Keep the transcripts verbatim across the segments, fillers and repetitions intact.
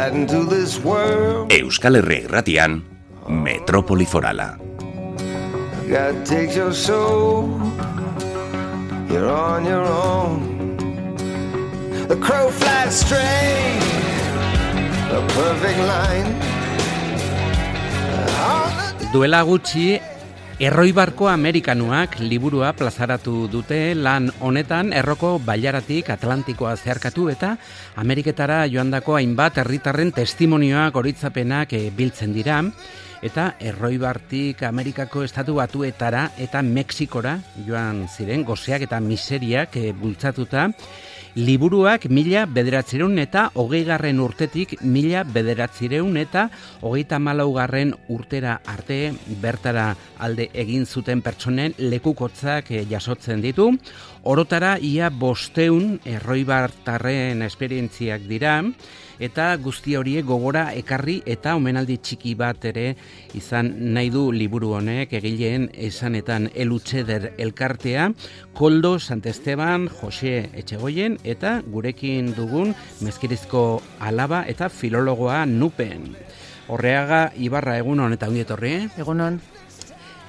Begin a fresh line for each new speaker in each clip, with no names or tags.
sliding to this world.
Euskal Herria Irratian, Metropoli Forala.
God takes your soul, you're on your own. The crow flies straight, a perfect line.
Duela gutxi, Erroibarko Amerikanuak liburua plazaratu dute. Lan honetan erroko bailaratik Atlantikoa zeharkatu eta Ameriketara joandako hainbat herritarren testimonioak, goritzapenak e, biltzen dira. Eta Erroibartik Amerikako estatu batuetara eta Mexikora joan ziren goseak eta miseriak e, bultzatuta. Liburuak mila bederatzireun eta hogeigarren urtetik mila bederatzireun eta hogeita malaugarren urtera arte bertara alde egin zuten pertsonen lekukotzak jasotzen ditu. Orotara ia bosteun erroibartarren esperientziak dira eta guzti horiek gogora ekarri eta omenaldi txiki bat ere izan nahi du liburu honek egileen esanetan Elutxeder elkartea, Koldo Santesteban, Jose Etxegoien eta gurekin dugun Mezkirizko alaba eta filologoa Nupen. Horreaga Ibarra, egunon eta ongi etorri.
Egunon.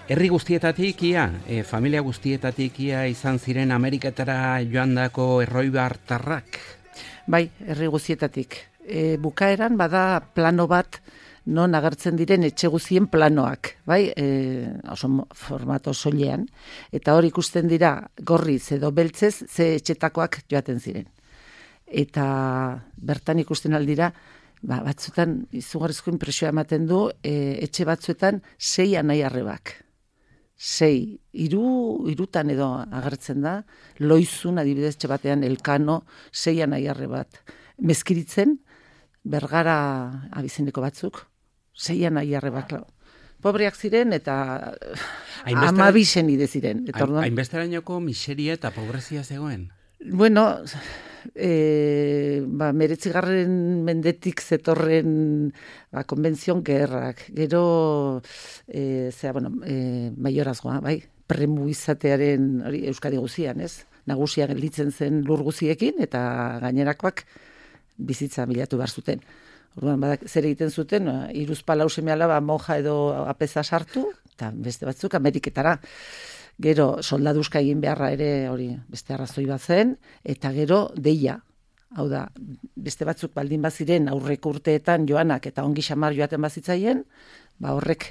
Herri guztietatik ia, e, familia guztietatik ia izan ziren Ameriketara joandako erroibartarrak?
Bai, herri guztietatik. E, bukaeran bada plano bat non agertzen diren etxe guztien planoak, bai, e, oso formato soilean, eta hor ikusten dira gorriz edo beltzez ze etxetakoak joaten ziren. Eta bertan ikusten aldira, ba, batzuetan izugarrizko inpresioa ematen du, e, etxe batzuetan sei anai arrebak. Sei, hiru, hirutan edo agertzen da, Loizun adibidez etxe batean Elkano, sei anai arrebat. Mezkiritzen, Bergara abizeneko batzuk, sei anai arrebak. Pobreak ziren eta amabisen ide ziren.
Hainbesterainoko miseria eta pobrezia zegoen?
Bueno, e, ba, meretzigarren mendetik zetorren ba, konbentzion gerrak. Gero, e, zera, bueno, e, maiorazgoa, bai, premu izatearen hori Euskadi guzian, ez? Nagusia gelditzen zen lur guziekin eta gainerakoak bizitza bilatu behar zuten. Orduan, badak, zer egiten zuten, hiruz palau seme alaba monja edo apeza sartu, eta beste batzuk Ameriketara. Gero soldaduzka egin beharra ere hori beste arrazoi bat zen, eta gero deia. Hau da, beste batzuk baldin baziren aurreko urteetan joanak eta ongi xamar joaten bazitzaien, ba horrek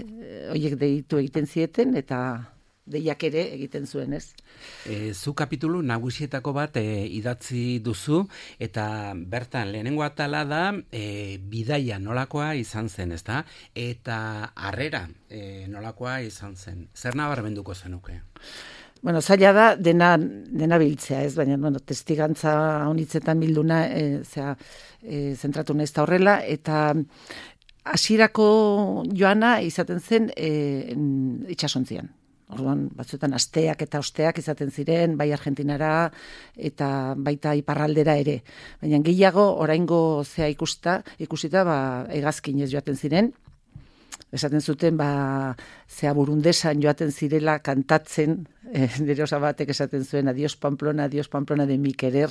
horiek deitu egiten zieten eta deiak ere egiten zuen, ez?
E, zu kapitulu nagusietako bat e, idatzi duzu, eta bertan lehenengo atala da e, bidaia nolakoa izan zen, ezta? Eta harrera e, nolakoa izan zen. Zer nabarmenduko zenuke?
Bueno, zaila da dena, dena biltzea, ez? Baina, bueno, testigantza honitzetan bilduna, e, zera, e, zentratu naiz da horrela, eta hasierako joana izaten zen e, itxasontzian. Orduan, batzuetan asteak eta osteak izaten ziren, bai Argentinara eta baita iparraldera ere. Baina gehiago, oraingo zea ikusta, ikusita, ba, hegazkinez joaten ziren. Esaten zuten, ba, zea burundesan joaten zirela kantatzen, eh, nire osabatek esaten zuen, adios Pamplona, adios Pamplona de mi querer,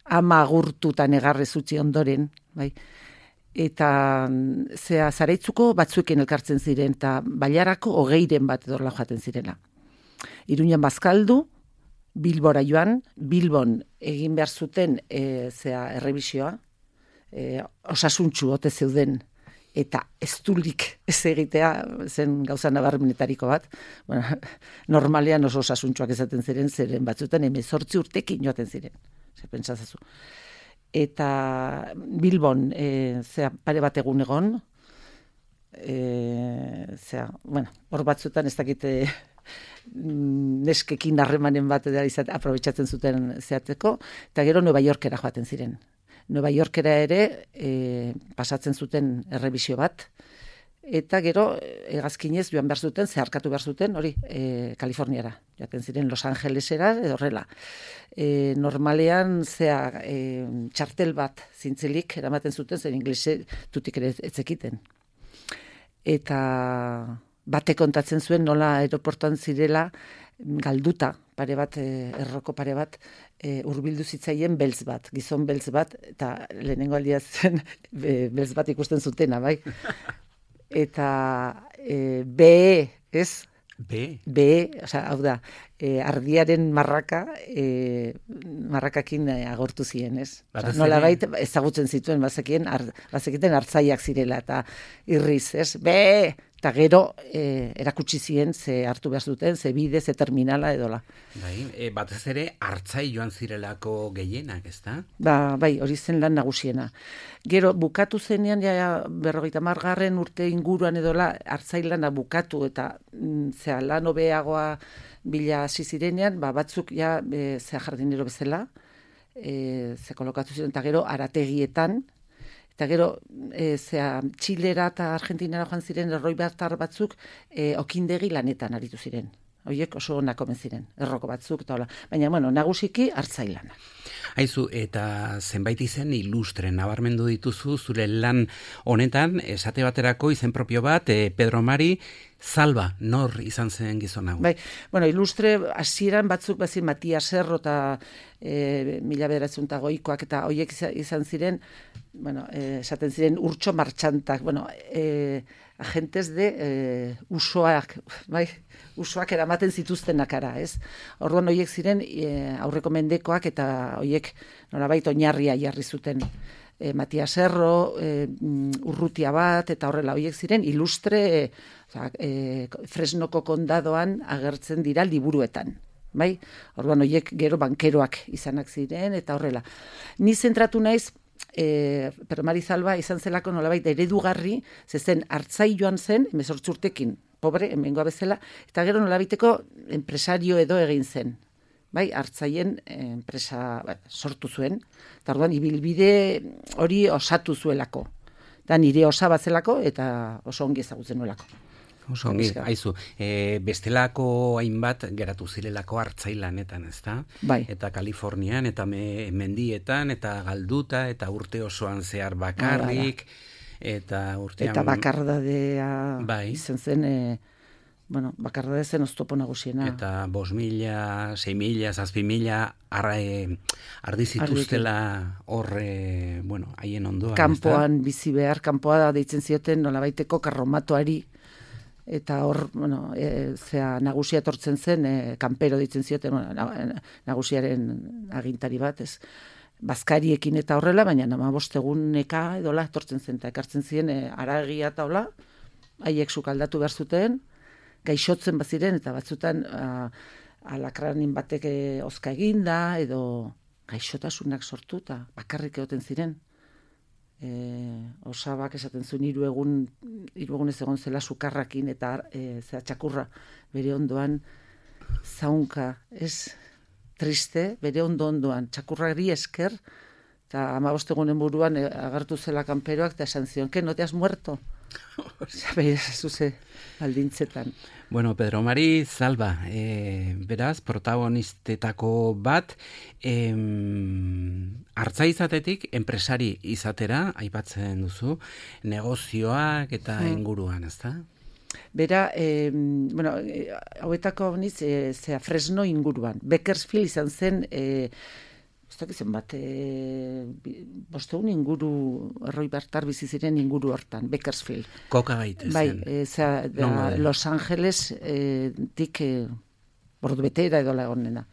ama agurtutan egarrez utzi ondoren, bai. Eta zea Zaraitzuko batzuekin elkartzen ziren, eta Bailarako hogeiren bat edorla joaten zirela. Iruñan bazkaldu, Bilbora joan, Bilbon egin behar zuten e, zea errebisioa, e, osasuntxu ote zeuden, eta ez dulik ez egitea zen gauza nabarmenetariko bat. Bueno, normalean oso osasuntxuak ezaten ziren, zeren batzuetan hemezortzi urtekin joaten ziren. Zer pentsazazu. Eta Bilbon, e, zera, pare bat egun egon, e, zera, bueno, hor batzuetan ez dakite neskekin harremanen bat edera izate, aprobetxatzen zuten zehateko, eta gero Nueva Yorkera joaten ziren. Nueva Yorkera ere e, pasatzen zuten errebisio bat, eta gero hegazkinez joan behar zuten, zeharkatu behar zuten, hori, e, Kaliforniara. Joaten ziren Los Angelesera, edo horrela. E, normalean, zea, e, txartel bat zintzilik eramaten zuten, zer inglese tutik ere etzekiten. Eta bate kontatzen zuen nola aeroportuan zirela, galduta, pare bat, e, erroko pare bat, e, urbildu zitzaien beltz bat, gizon beltz bat, eta lehenengo aldia zen e, beltz bat ikusten zutena, bai? Eta e, be, ez?
Be?
Be, osea, hau da, e, ardiaren marraka, e, marrakakin agortu ziren, ez? Osa, nolabait ezagutzen zituen, bazekien, ar, bazekiten hartzaiak zirela, eta irriz, ez? Be! Eta gero e, erakutsi ziren ze hartu behar duten, ze bide, ze terminala edola.
Bai, e, batez ere hartzai joan zirelako gehienak, ezta?
Ba, bai, hori zen lan nagusiena. Gero bukatu zenean, ja, berrogeita margarren urte inguruan edola, hartzai lana bukatu eta mm, zea lan hobeagoa bila hasi zirenean, ba, batzuk ja e, zea jardinero bezala, e, ze kolokatu ziren, eta gero arategietan, eta gero, e, zea, Txilera eta Argentinara joan ziren erroi batar batzuk e, okindegi lanetan aritu ziren. Horiek oso onak omen ziren, erroko batzuk eta hola. Baina, bueno, nagusiki hartzailana.
Aizu, eta zenbait izen ilustre nabarmendu dituzu zure lan honetan, esate baterako izen propio bat, e, Pedro Mari Salva, nor izan zen gizon hau?
Bai, bueno, ilustre hasieran batzuk bazin Matias Serro eta e, mila bederatzen eta goikoak eta horiek izan ziren, bueno, e, esaten ziren urtso martxantak, bueno, e, agentes de e, usoak, bai, usoak eramaten zituztenak ara, ez? Orduan horiek ziren e, aurreko mendekoak eta horiek nolabait oinarria jarri zuten. E, Matias Serro, e, urrutia bat, eta horrela horiek ziren ilustre e, e, Fresnoko kondadoan agertzen dira liburuetan. Bai? Orduan horiek gero bankeroak izanak ziren, eta horrela. Ni zentratu naiz, e, Pedro Mari Salva izan zelako nolabait eredugarri, zezen hartzai joan zen, hemezortzi urtekin, pobre, hemengoa bezala, eta gero nolabaiteko enpresario edo egin zen. Bai, hartzaien enpresa ba, sortu zuen, eta orduan ibilbide hori osatu zuelako. Da nire osaba zelako eta oso ongi ezagutzen nuelako.
Oso ongi, aizu, e, bestelako hainbat geratu zirelako hartzailanetan, ezta?
Bai.
Eta Kalifornian, eta me, mendietan, eta galduta, eta urte osoan zehar bakarrik, eta urtean...
Eta bakardadea
bai.
Izan zen... E, Bueno, bakardade zen oztopo nagusiena.
Eta bos mila, sei mila, zazpi mila arra, ardizituztela horre, bueno, haien ondoan.
Kanpoan bizi behar, kanpoa da deitzen zioten nolabaiteko karromatoari, eta hor, bueno, e, zea nagusia etortzen zen, e, kanpero deitzen zioten, bueno, nagusiaren agintari bat, ez, bazkariekin eta horrela, baina nama bosteguneka edola etortzen zen, eta ekartzen ziren e, aragia eta hola, haiek sukaldatu behar zuten, gaixotzen baziren, eta batzutan uh, alakranin batek ozka eginda, edo gaixotasunak sortu, eta bakarrik egoten ziren. E, osabak esaten zuen hiru egun, hiru egun ez egon zela sukarrakin, eta e, zera txakurra bere ondoan zaunka, ez triste, bere ondo ondoan, txakurrari esker, eta hamabost egunen buruan e, agertu zela kanperoak, eta esan zion, que no te has muerto? Zabe, zuze, aldintzetan.
Bueno, Pedro Mari Salva, e, beraz, protagonistetako bat, e, hartza izatetik, enpresari izatera, aipatzen duzu, negozioak eta hmm. inguruan, ezta?
Bera, e, bueno, e, hauetako niz, e, zea Fresno inguruan. Bakersfield izan zen... E, Zen bat, e, bosteun inguru, erroi bartar bizi ziren inguru hortan, Bakersfield.
Koka gaitezen.
Bai, e, zera, da, no, Los Angeles e, tik e, bordu betera edo lagonena.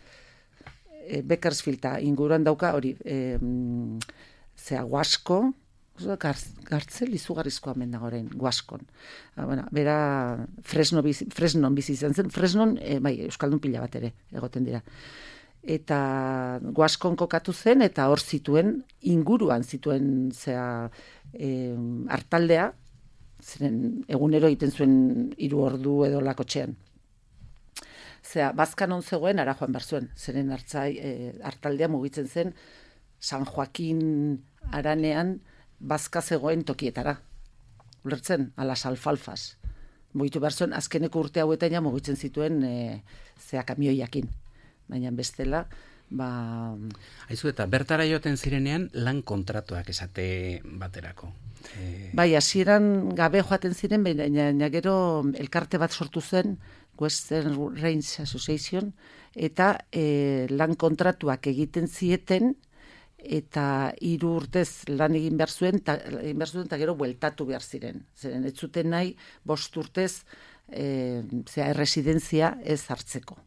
E, Bakersfield ta inguruan dauka hori, e, zera, Guasko, gartzel izugarrizkoa mendago orain, Guaskon. Ah, bueno, bera Fresno bizi, Fresnon bizi izan zen, Fresnon, e, bai, Euskaldun pila bat ere, egoten dira. Eta Guaskon kokatu zen, eta hor zituen, inguruan zituen zea e, hartaldea, ziren egunero egiten zuen hiru ordu edo lakotxean. Zea, bazkan on zegoen, ara joan behar zuen, zeren hartzai, e, hartaldea mugitzen zen, San Joaquin aranean, bazka zegoen tokietara. Ulertzen, alas alfalfas. Mugitu behar zuen, azkeneko urte hauetan ja mugitzen zituen e, zea kamioiakin. Baina bestela, ba...
Aizu, eta bertara joaten zirenean lan kontratuak esate baterako. E...
Bai, hasieran gabe joaten ziren, baina gero elkarte bat sortu zen, Western Range Association, eta e, lan kontratuak egiten zieten, eta hiru urtez lan egin behar zuen, ta, egin behar zuen, eta gero bueltatu behar ziren. Zeren, ez zuten nahi, bost urtez, e, zera, erresidentzia ez hartzeko.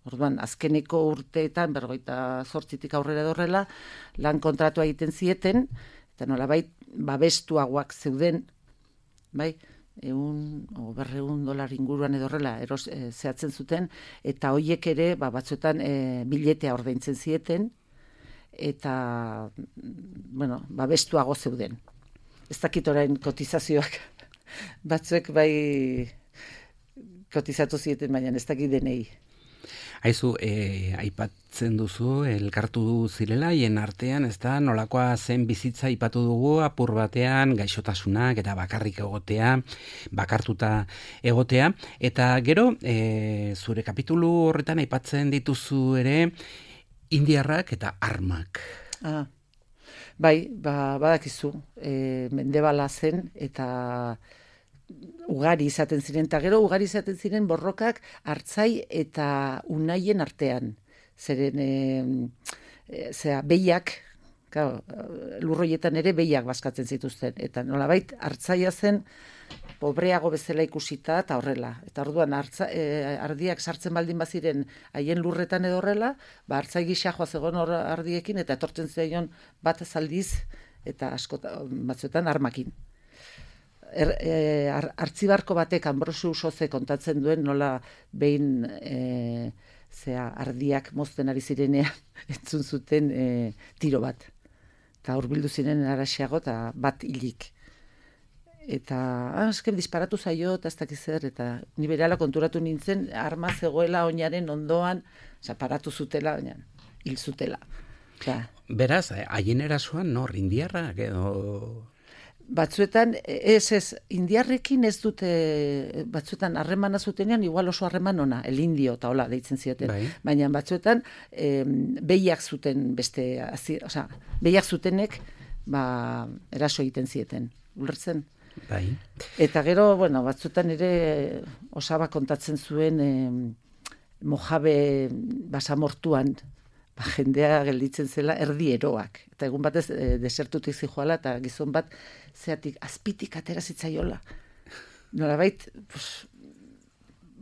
Orduan, azkeneko urteetan, berrogeita zortzitik aurrera dorrela, lan kontratua egiten zieten, eta nolabait, babestuagoak zeuden, bai, egun, o berreun dolar inguruan edorrela, eros, e, zehatzen zuten, eta hoiek ere, ba, batzuetan, e, biletea ordaintzen zieten, eta, bueno, babestuago zeuden. Ez dakit orain kotizazioak, batzuek bai kotizatu zieten, baina ez dakit denei.
Aizu, e, aipatzen duzu, elkartu zirela, hien artean, ez da, nolakoa zen bizitza aipatu dugu, apur batean, gaixotasunak, eta bakarrik egotea, bakartuta egotea, eta gero, e, zure kapitulu horretan aipatzen dituzu ere, indiarrak eta armak.
Ah, bai, ba, badakizu, e, mendebala zen, eta ugari izaten ziren, eta gero ugari izaten ziren borrokak hartzai eta unaien artean. Zeren, e, e, zera, behiak, claro, lurroietan ere behiak bazkatzen zituzten, eta nolabait hartzaia zen pobreago bezala ikusita eta horrela. Eta orduan hartza, e, ardiak sartzen baldin baziren haien lurretan edo horrela, ba hartzai gisa joaz egon hor ardiekin, eta etortzen zaion bat zaldiz, eta asko batzuetan armakin. Er, e, artzibarko batek Anbrosio Usoze kontatzen duen nola behin e, zea, ardiak mozten ari zirenean entzun zuten e, tiro bat. Eta hurbildu ziren araxiago eta bat hilik. Eta, ah, esken disparatu zaio, eta ez dakiz zer, eta ni berehala konturatu nintzen, arma zegoela oinaren ondoan, oza, paratu zutela, baina hil zutela. Ja.
Beraz, haien erasoan, nor, indiarrak edo...
Batzuetan, ez ez, indiarrekin ez dute, batzuetan harremana zutenean, igual oso harreman ona, el indio, eta hola, deitzen zioten.
Bai.
Baina batzuetan, eh, behiak zuten beste, oza, behiak zutenek, ba, eraso egiten zieten, ulertzen?
Bai.
Eta gero, bueno, batzuetan ere osaba kontatzen zuen eh, Mojabe basamortuan, ba, jendea gelditzen zela erdi eroak. Eta egun batez e, desertutik zijoala eta gizon bat zeatik azpitik atera zitzaiola. Nolabait, pues,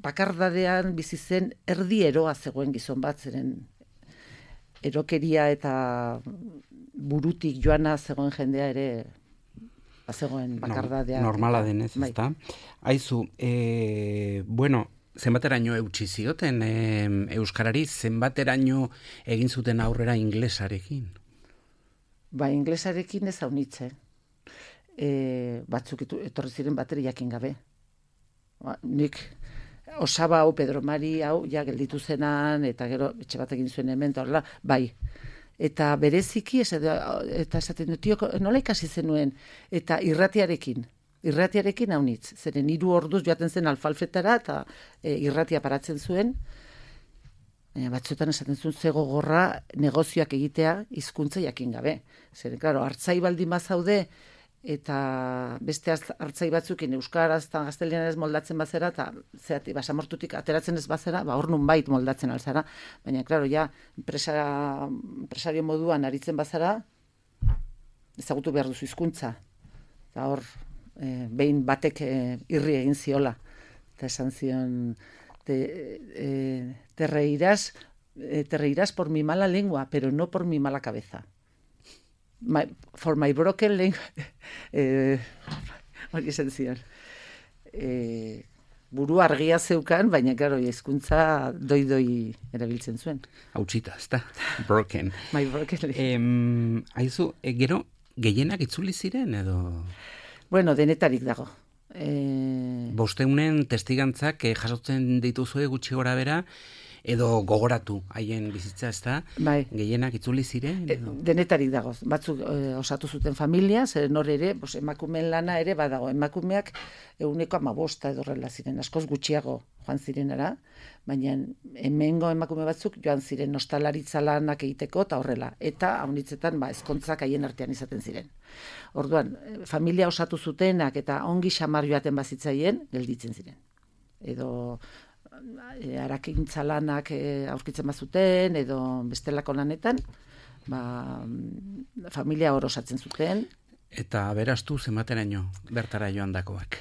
bakardadean bizi zen erdi eroa zegoen gizon bat, zeren erokeria eta burutik joana zegoen jendea ere zegoen bakardadea.
Normala denez, bai. Ezta? Aizu, e, bueno, zenbateraino eutsi zioten e, euskarari, zenbateraino egin zuten aurrera inglesarekin?
Ba, inglesarekin ez haunitze. E, batzuk etorri ziren bateri jakin gabe. Ba, nik osaba hau, Pedro Mari hau, ja gelditu zenan, eta gero etxe bat egin zuen hemen, eta horrela, bai. Eta bereziki, ez, eta esaten dut, tio, nola ikasi zenuen, eta irratiarekin. Irratiarekin haunitz, zeren hiru orduz joaten zen alfalfetara eta e, irratia paratzen zuen. E, batzuetan esaten zuen ze gogorra negozioak egitea hizkuntza jakin gabe. Zeren, klaro, hartzai baldin bazaude eta beste hartzai batzukin euskaraz eta gaztelianez moldatzen bazera eta zeati, basamortutik ateratzen ez bazera, ba hor nunbait moldatzen alzara. Baina, klaro, ja, empresa, empresario moduan aritzen bazara, ezagutu behar duzu hizkuntza. Eta hor, E, behin batek e, irri egin ziola eta esan zion te, e, te reirás e, te reirás por mi mala lengua pero no por mi mala cabeza. My, for my broken lengua e, hori esan zion e, buru argia zeukan, baina claro, hizkuntza doi-doi erabiltzen zuen.
Hautsita, ezta? Broken.
My broken lengua.
Em, aizu, e, gero gehienak itzuli ziren edo...
Bueno, denetarik dago. E...
Bosteunen testigantzak eh, jasotzen dituzue gutxi gora bera, edo gogoratu haien bizitza, ez da?
Bai.
Gehienak itzuli ziren?
E, denetarik dago. Batzuk e, osatu zuten familia, zer nor ere, bos, emakumeen lana ere badago. Emakumeak eguneko amabosta edo horrela ziren, askoz gutxiago joan zirenara, baina hemengo emakume batzuk joan ziren nostalaritza lanak egiteko eta horrela. Eta haunitzetan ba, ezkontzak haien artean izaten ziren. Orduan, familia osatu zutenak eta ongi xamar joaten bazitzaien, gelditzen ziren. Edo e, arakintza lanak e, aurkitzen bazuten, edo bestelako lanetan, ba, familia orosatzen zuten.
Eta aberastu zenbateraino bertara joandakoak?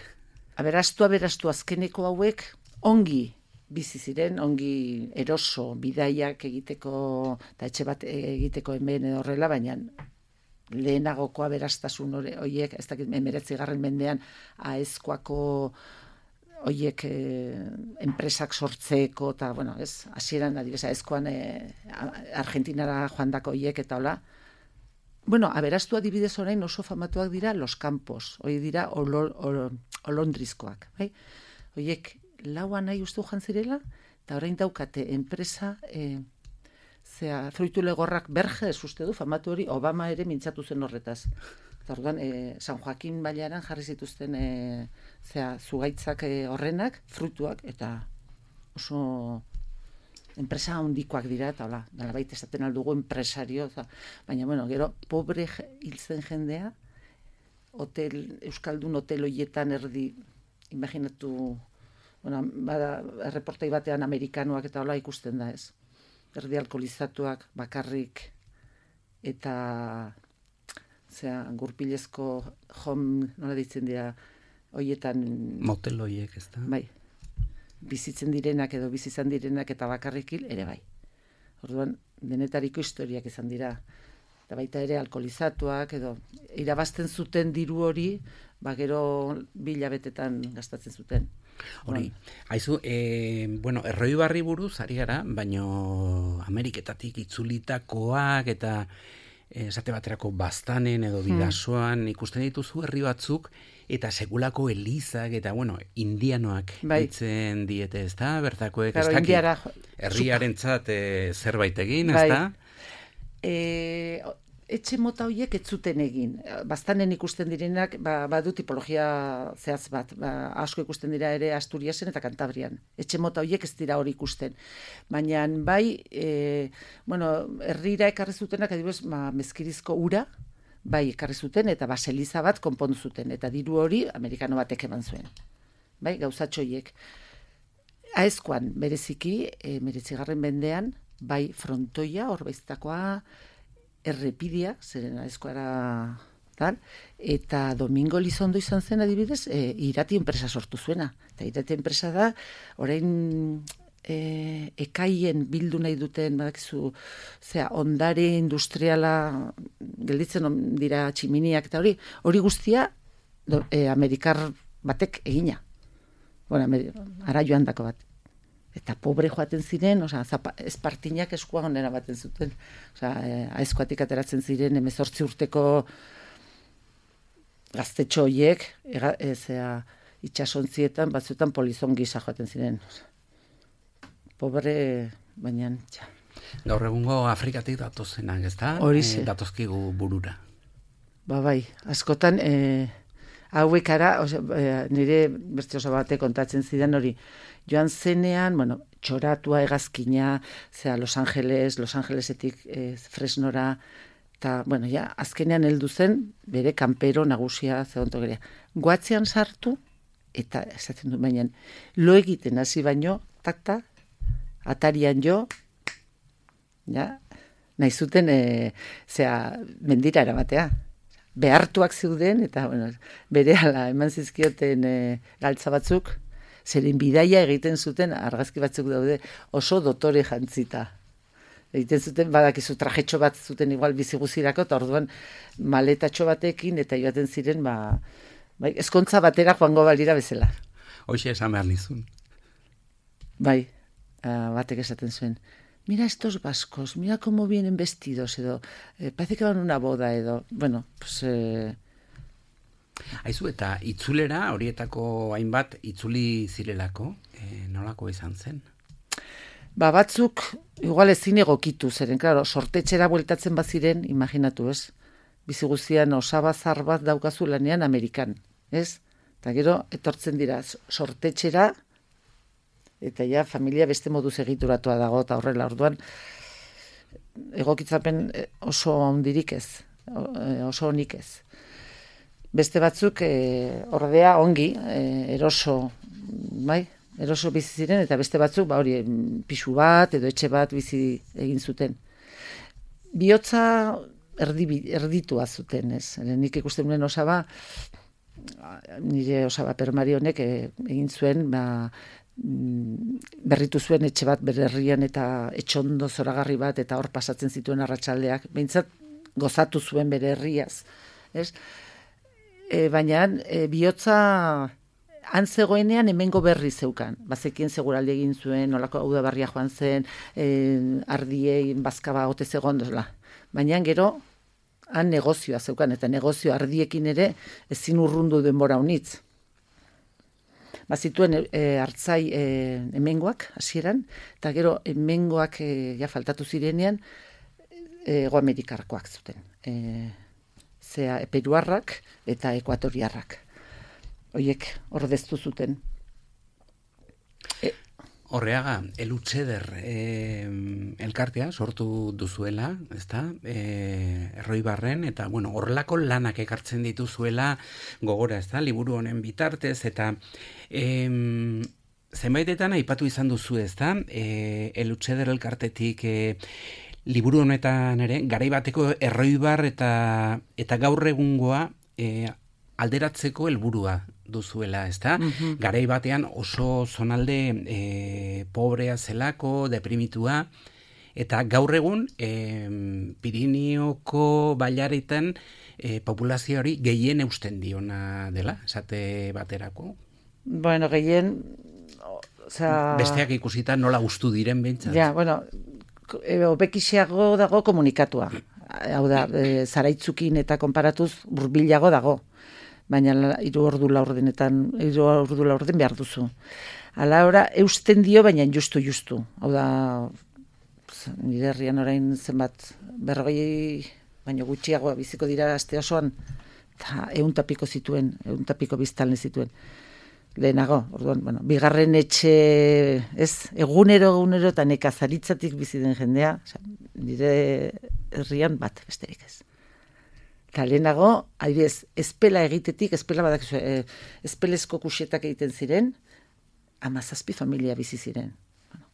Aberastu, aberastu azkeneko hauek ongi bizi ziren, ongi eroso bidaiak egiteko, eta etxe bat egiteko hemen edo horrela, baina lehenagoko aberastasun horiek, ez dakit, emeretzigarren mendean, aezkoako horiek eh, enpresak sortzeko, eta, bueno, ez, hasieran adibidez, aezkoan eh, Argentinara joandako horiek eta hola. Bueno, aberastu adibidez orain oso famatuak dira Los Campos, hori dira olo, olo, olondrizkoak, bai? Horiek laua nahi ustu joan zirela, eta orain daukate enpresa, eh, zea, fruitu legorrak Berges uste du, famatu hori, Obama ere mintzatu zen horretaz. Eta orduan, e, San Joaquin bailaran jarri zituzten e, zea, zugaitzak e, horrenak, fruituak, eta oso enpresa handikoak dira, eta hola, nolabait esaten aldugu enpresario, eta, baina, bueno, gero, pobre hiltzen jendea, hotel, Euskaldun hotel hoietan erdi, imaginatu, bueno, bada, erreportai batean amerikanoak eta hola ikusten da, ez? Erdi alkoholizatuak, bakarrik, eta zera, gurpilezko home, nola ditzen dira, hoietan...
Motel hoiek, ez da?
Bai, bizitzen direnak edo bizizan direnak eta bakarrik hil, ere bai. Orduan, denetariko historiak izan dira. Eta baita ere alkoholizatuak, edo irabazten zuten diru hori, ba gero bilabetetan gastatzen zuten.
Hori, haizu, e, bueno, Erroibarri buruz ari gara, baino Ameriketatik itzulitakoak eta esate baterako Baztanen edo Bidasoan hmm. ikusten dituzu herri batzuk eta segulako elizak eta, bueno, indianoak
bai.
Ditzen diete, ez da? Bertakoek,
claro,
ez dakit,
indiara...
herriarentzat e, zerbait egin, ez
bai.
da?
E, etxe mota horiek ez zuten egin. Baztanen ikusten direnak, ba, badu tipologia zehaz bat, ba, asko ikusten dira ere Asturiasen eta Kantabrian. Etxe mota horiek ez dira hori ikusten. Baina bai, e, bueno, herrira ekarri zutenak, adibidez, ma, mezkirizko ura, bai, ekarri zuten, eta baseliza bat konpondu zuten, eta diru hori amerikano batek eman zuen. Bai, gauzatxo horiek. Aezkoan, bereziki, e, meretzigarren mendean, bai, frontoia, horbeiztakoa, errepidia, zeren aezkoara tal, eta Domingo Lizondo izan zen adibidez, e, irati enpresa sortu zuena. Eta irati enpresa da, orain e, ekaien bildu nahi duten, badakizu, zera, ondare industriala, gelditzen dira tximiniak eta hori, hori guztia do, e, Amerikar batek egina. Bueno, Amer, ara joan dako bat. Eta pobre joaten ziren, osea, espartinak eskua honera baten zuten. Osea, aezkoatik ateratzen ziren hemezortzi urteko gaztetxo horiek, ezea, itxasontzietan, batzuetan polizon gisa joaten ziren. Pobre, baina, txa.
Gaur egungo Afrikatik datozenak, ez da?
Horixe.
E, datozkigu burura.
Ba, bai, askotan, e, hauek ara, ose, e, nire beste oso batek kontatzen zidan hori, joan zenean, bueno, txoratua hegazkina, zera Los Angeles, Los Angelesetik e, Fresnora, eta, bueno, ja, azkenean heldu zen, bere kanpero nagusia zegonto gerea. Goatzean sartu, eta, esaten du, baina, lo egiten hasi baino, takta, atarian jo, ja, nahi zuten, e, zera, mendira eramatea. Behartuak zeuden, eta, bueno, bere ala eman zizkioten e, galtza batzuk, zeren bidaia egiten zuten, argazki batzuk daude, oso dotore jantzita. Egiten zuten, badakizu trajetxo bat zuten igual biziguzirako, eta orduan maletatxo batekin, eta joaten ziren, ba, bai, ezkontza batera joango balira bezala.
Hoxe esan behar nizun.
Bai, batek esaten zuen, mira estos vascos, mira cómo vienen vestidos, edo, eh, parece que van a una boda, edo, bueno, pues... Eh,
Aizu, eta itzulera, horietako hainbat itzuli zirelako, e, nolako izan zen?
Ba, batzuk, igual ezin egokitu, zeren, klaro, sortetxera bueltatzen baziren, imaginatu, ez? Biziguzian osabazar bat daukazu lanean Amerikan, ez? Eta gero, etortzen dira, sortetxera, eta ja, familia beste moduz egituratua dago, eta horrela, orduan, egokitzapen oso ondirik ez, oso onik ez. Beste batzuk, e, ordea, ongi, e, eroso, bai, eroso bizi ziren, eta beste batzuk, ba hori, pisu bat edo etxe bat bizi egin zuten. Bihotza erdi, erditua zuten, ez? Nik ikusten nuen osaba, nire osaba permari honek egin zuen, ba, berritu zuen etxe bat bere herrian eta etxondo zoragarri bat, eta hor pasatzen zituen arratsaldeak, behintzat gozatu zuen bere herriaz, ez? E, baina e, bihotza han zegoenean hemengo berri zeukan. Bazekien seguraldi egin zuen, nolako udaberria joan zen, e, ardiei bazkaba ote zegoen dozla. Baina gero han negozioa zeukan, eta negozio ardiekin ere ezin urrundu denbora unitz. Bazituen e, hartzai e, hemengoak hasieran, eta gero hemengoak e, ja faltatu zirenean Ego Amerikarkoak zuten. E, zea peruarrak eta ekuatoriarrak. Hoiek ordeztu zuten. E,
Horreaga, Elutxeder e, elkartea sortu duzuela, ezta? E, Erroibarren, eta bueno, horrelako lanak ekartzen dituzuela gogora, ezta? Liburu honen bitartez, eta e, zenbaitetan aipatu izan duzu, ezta? E, Elutxeder elkartetik e, liburu honetan ere, garai bateko Erroibar eta, eta gaur egungoa e, alderatzeko helburua duzuela, ezta? Mm-hmm. Garai batean oso zonalde e, pobrea zelako, deprimitua, eta gaur egun e, Pirineoko bailaretan e, populazio hori gehien eusten diona dela, esate baterako.
Bueno, gehien... Osea...
Besteak ikusita nola gustu diren behintzat.
Ja, bueno, hobekixiago dago komunikatua. Hau da, e, zaraitzukin eta konparatuz burbilago dago. Baina hiru ordu laurdenetan, hiru ordu laurden behar duzu. Hala ora, eusten dio, baina justu justu. Hau da, nire herrian orain zenbat, berrogei, baina gutxiagoa biziko dira aste osoan, eta ehun tapiko zituen, ehun tapiko biztanle zituen. Lehenago, orduan, bueno, bigarren etxe, ez, egunero, egunero, eta nekazaritzatik bizi den jendea, oza, nire herrian bat, besterik ez. Eta lehenago, adibidez, espela egitetik, espela badak, e, espelezko kuxetak egiten ziren, hamazazpi familia bizi ziren. Bueno,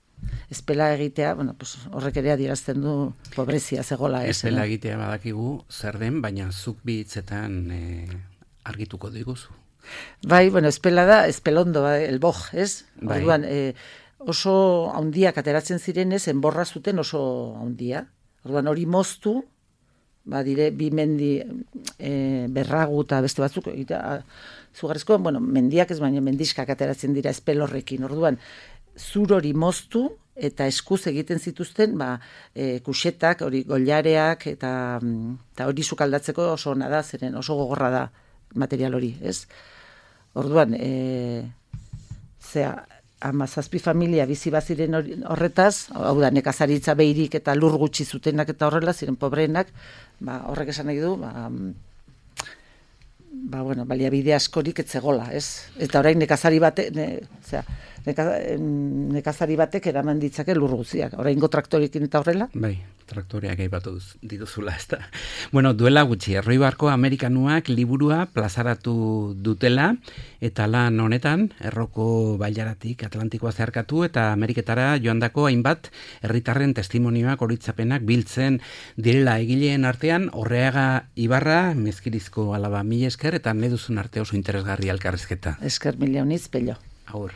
espela egitea, bueno, pues, horrek ere adierazten du pobrezia zegola. Ez,
espela egitea badakigu zer den, baina zuk bi hitzetan e, argituko diguzu.
Bai, bueno, espela da, espelondo, bai, elboj, ez?
Bai.
Orduan, e, oso haundiak ateratzen zirenez, enborra zuten oso haundia. Orduan, hori moztu, ba, dire, bi mendi e, berragu eta beste batzuk, eta zugarrizko, bueno, mendiak ez, baina mendiskak ateratzen dira espelorrekin. Orduan, zur hori moztu, eta eskuz egiten zituzten, ba, e, kuxetak, hori gollareak, eta, eta hori sukaldatzeko oso ona da, zeren oso gogorra da material hori, ez? Orduan, e, zea, hamazazpi familia bizi baziren horretaz, hau da, nekazaritza behirik eta lur gutxi zutenak eta horrela, ziren pobreenak, ba, horrek esan nahi du, ba, ba, bueno, baliabide askorik etzegola, ez? Eta orain nekazari batek, ne, zera, neka, nekazari batek eraman ditzake lur gutziak, oraingo traktorekin eta horrela.
Bai, traktoreak aipatu dituzula, ez da. Bueno, duela gutxi, Erroibarko Amerikanuak liburua plazaratu dutela, eta lan honetan, Erroko bailaratik Atlantikoa zeharkatu, eta Ameriketara joandako hainbat herritarren testimonioak horitzapenak biltzen direla egileen artean, Horreaga Ibarra, Mezkirizko alaba, mila esker, eta nahi duzun arte oso interesgarri elkarrizketa.
Esker mila uniz, pello.
Agur.